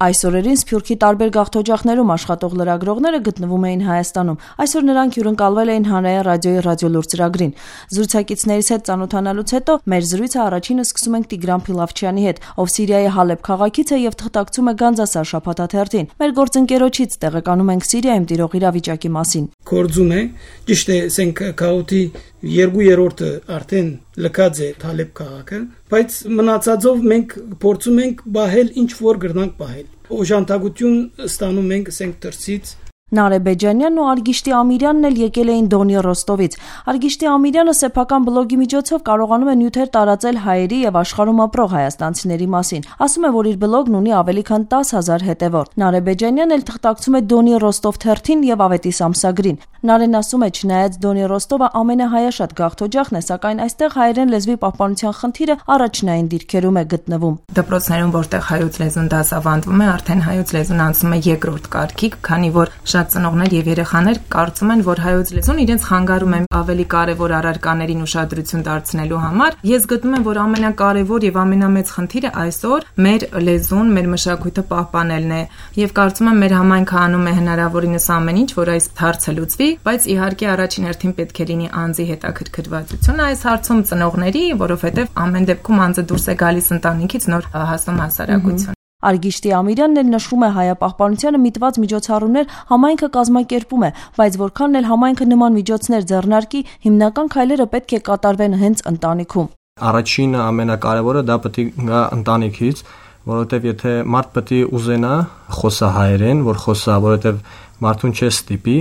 Այս օրերին Սփյուռքի տարբեր գաղթօջախներում աշխատող լրագրողները գտնվում էին Հայաստանում։ Այսօր նրանք հյուրընկալվել էին Հանրային ռադիոյի ռադիոլուր ծրագրին։ Զրուցակիցներից հետ ծանոթանալուց հետո մեր զրույցը առաջինը սկսում ենք Տիգրան Փիլավչյանի հետ, ով Սիրիայի Հալեբ քաղաքից է եւ թղթակցում է Գանձասար շաբաթաթերթին։ Մեր գործընկերոջից տեղեկանում ենք Սիրիայում տիրող իրավիճակի մասին։ Կորձում է, ճիշտ է, ասենք քաղաքի 2/3-ը արդեն լքած է Հալեբ քաղաքը, բայց մնացածով մենք փորձում ենք բահել ինչ որ գրնանք բահել։ Օժանդակություն ստանում ենք ասենք դրսից։ Նարե Բեջանյանն ու Արգիշտի Ամիրյանն էլ եկել էին Դոնի Ռոստովից։ Արգիշտի Ամիրյանը սեփական բլոգի միջոցով կարողանում է նյութեր տարածել հայերի եւ աշխարհում ապրող հայաստանցիների մասին։ Ասում է, որ իր բլոգն ունի ավելի քան 10,000 հետևորդ։ Նարե Բեջանյանն էլ թղթակցում է Դոնի Ռոստով թերթին եւ Ավետիս ամսագրին։ Նարեն ասում է, չնայած Դոնի Ռոստովը ամենահայաշատ գաղթօջախն է, սակայն այստեղ հայերեն լեզվի պահպանության խնդիրը առաջնային դիրքերում է գտնվում։ Դպրոցներում, որտեղ հայոց լեզուն դասավանդվում է, արդեն հայոց լեզուն անցնում է երկրորդ կարգի, քանի որ շատ ծնողներ եւ երեխաներ կարծում են, որ հայոց լեզուն իրենց խանգարում է ավելի կարեւոր առարկաներին ուշադրություն դարձնելու համար։ Ես գտնում եմ, որ ամենակարևոր եւ ամենամեծ խնդիրը այսօր մեր լեզուն, մեր մշակույթը պահպանելն է, եւ կարծում եմ մեր համայնքը անում է հնարավորինս ամեն ինչ, որ այս հարցը լուծվի, բայց իհարկե առաջին հերթին պետք է լինի անձի հետաքրքրվածությունը այս հարցում ծնողների, որովհետեւ ամեն դեպքում անձը դուրս է գալիս ընտանիքից նոր հասնում հասարակություն։ Արգիշտի Ամիրյանն էլ նշում է հայապահպանությանը միտված միջոցառումներ համայնքը կազմակերպում է, բայց որքանն էլ համայնքը նման միջոցներ ձեռնարկի, հիմնական քայլերը պետք է կատարվեն հենց ընտանիքում։ Առաջինը ամենակարևորը դա պետք է գա ընտանիքից, որովհետև եթե մարդ պետք է ուզենա խոսա հայերեն, որ խոսա, որովհետև մարդուն չէ ստիպի,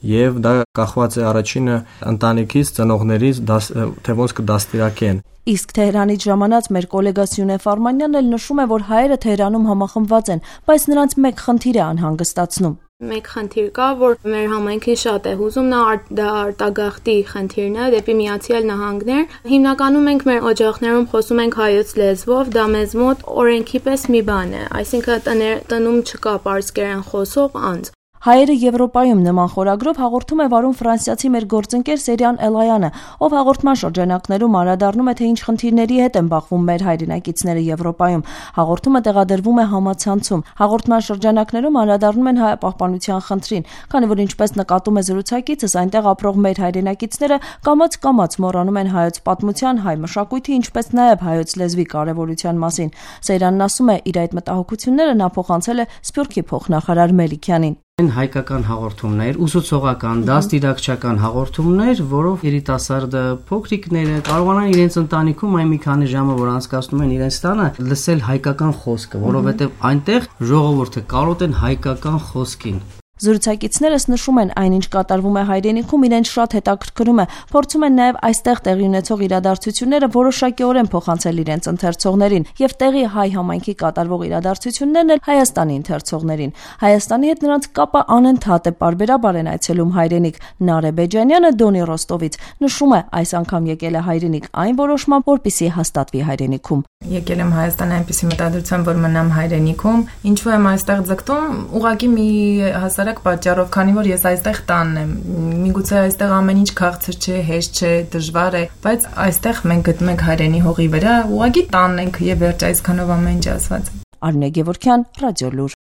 եւ դա կախված է առաջինը ընտանիքից, ծնողներից, թե ոնց կդաստիարակեն։ Իսկ Թեհրանից ժամանած մեր գոլեգա Սյունե Ֆարմանյանն էլ նշում է, որ հայերը Թեհրանում համախմբված են, բայց նրանց մեկ խնդիր է անհանգստացնում։ Մեկ խնդիր կա, որ մեր համայնքին շատ է հուզում, դա արտագաղթի խնդիրն է դեպի Միացյալ Նահանգներ։ Հիմնականում մենք մեր օջախներում խոսում ենք հայոց լեզվով, դա մեզ մոտ օրենքի պես մի բան է, այսինքն տնում չկա պարսկերեն խոսող անձ։ Հայերը Եվրոպայում նման խորագրով հաղորդում է վարում ֆրանսիացի մեր գործընկեր Սերյան Էլայանը, ով հաղորդման շրջանակներում անդրադառնում է, թե ինչ խնդիրների հետ են բախվում մեր հայրենակիցները Եվրոպայում։ Հաղորդումը տեղադրվում է համացանցում։ Հաղորդման շրջանակներում անդրադառնում են հայապահպանության խնդրին, քանի որ ինչպես նկատում է զրուցակիցս, այնտեղ ապրող մեր հայրենակիցները կամաց մոռանում են հայոց պատմության, հայ մշակույթի, ինչպես նաև հայոց լեզվի կարևորության մասին։ Սերյանն ասում է, իր այդ մտահոգությունները նա փոխանցել է Սփյուռքի փոխնախարար Մելիքյանին։ Հայկական հաղորդումներ, ուսուցողական, դաստիարակչական հաղորդումներ, որով երիտասարդը, փոքրիկները կարողանան իրենց ընտանիքում այն մի քանի ժամը, որ անցկացնում են իրենց տանը, լսել հայկական խոսքը, որովհետև այնտեղ ժողովուրդը կարոտեն հայկական խոսքին։ Զրուցակիցներս նշում են, այնինչ կատարվում է հայրենիքում, իրենց շատ հետաքրքրում է, փորձում են նաև այստեղ տեղի ունեցող իրադարձությունները որոշակիորեն փոխանցել իրենց ընթերցողներին եւ տեղի հայ համայնքի կատարվող իրադարձություններն էլ Հայաստանի ընթերցողներին։ Հայաստանի հետ նրանց կապը անընդհատ է, պարբերաբար են այցելում հայրենիք։ Նարե Բեջանյանը Դոնի Ռոստովից նշում է, այս անգամ եկել է հայրենիք այն որոշմամբ, որպեսզի հաստատվի հայրենիքում։ Եկել եմ Հայաստան այնպիսի մտադրությամբ, որ մնամ հայրենիքում, ինչու եմ այստեղ ձգտում, ուղղակի մի հասարակ պատճառով, քանի որ ես այստեղ տանն եմ։ Միգուցե այստեղ ամեն ինչ քաղցր չէ, հեշտ չէ, դժվար է, բայց այստեղ մենք գտնում ենք հայրենի հողի վրա, ուղղակի տանն ենք եւ վերջ այսքանով ամեն ինչ ասված։ Արմինե Գևորգյան, Ռադիոլուր։